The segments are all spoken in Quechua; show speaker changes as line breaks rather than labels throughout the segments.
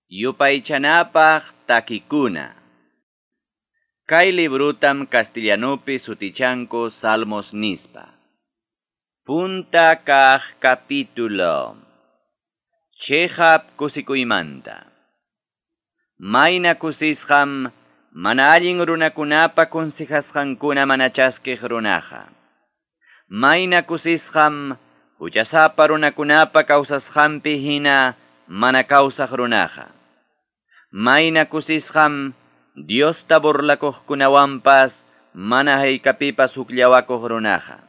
Yupaychanapaq takikuna. Kay librutam castellanupi sutichanku Salmos nispa. Punta kaq capítulo. Chiqap kusikuymanta. Mayna kusisqam mana allin runakunapa consejasqankuna mana chaskiq runaqa. Mayna kusisqam huchasapa runakunapa kawsasqanpi hina mana kawsaq runaqa. Mayna kusisqam Diosta burlakuqkunawanpas mana haykapipas hukllawakuq runaqa.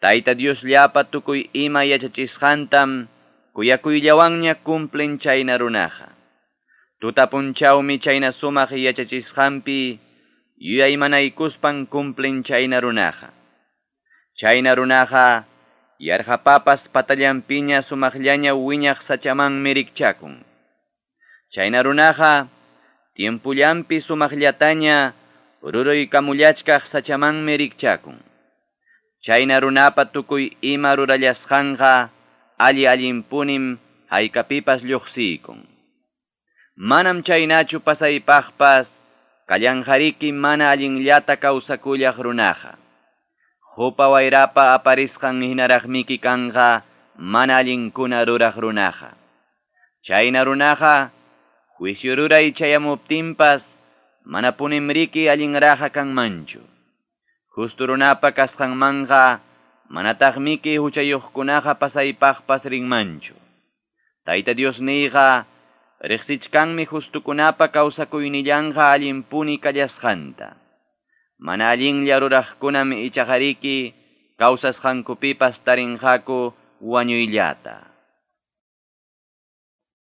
Tayta Diosllapa tukuy ima yachachisqantam kuyakuyllawanña cumplen chayna runaqa. Tuta punchawmi chayna sumaq yachachisqanpi yuyaymanaykuspan cumplen chayna runaqa. Chayna runaqa yarqapapas patallanpiña sumaqllaña wiñaq sachamanmi rikchakun. Chayna runaqa tiempullanpi sumaqllataña ruruykamullachkaq sachamanmi rikchakun. Chayna runapa tukuy ima rurallasqanqa alli allinpunim haykapipas lluqsiykun. Manam chaynachu pasaypaqpas kallanqariki mana allinllata kawsakullaq runaqa. Hupa wayrapa aparisqan hinaraqmiki kanqa mana allinkuna ruraq runaqa. Chayna runaqa juicio ruray chayamuptinpas manapunim riki allinraqa kanmanchu. Justo runapa kasqanmanqa manataqmiki huchayuqkunaqa pasaypaqpas rinmanchu. Tayta Diosniyqa riqsichkanmi justukunapa kawsakuynillanqa allinpuni kallasqanta. Mana allinlla ruraqkunam ichaqariki kawsasqankupipas tarinqaku wañuyllata.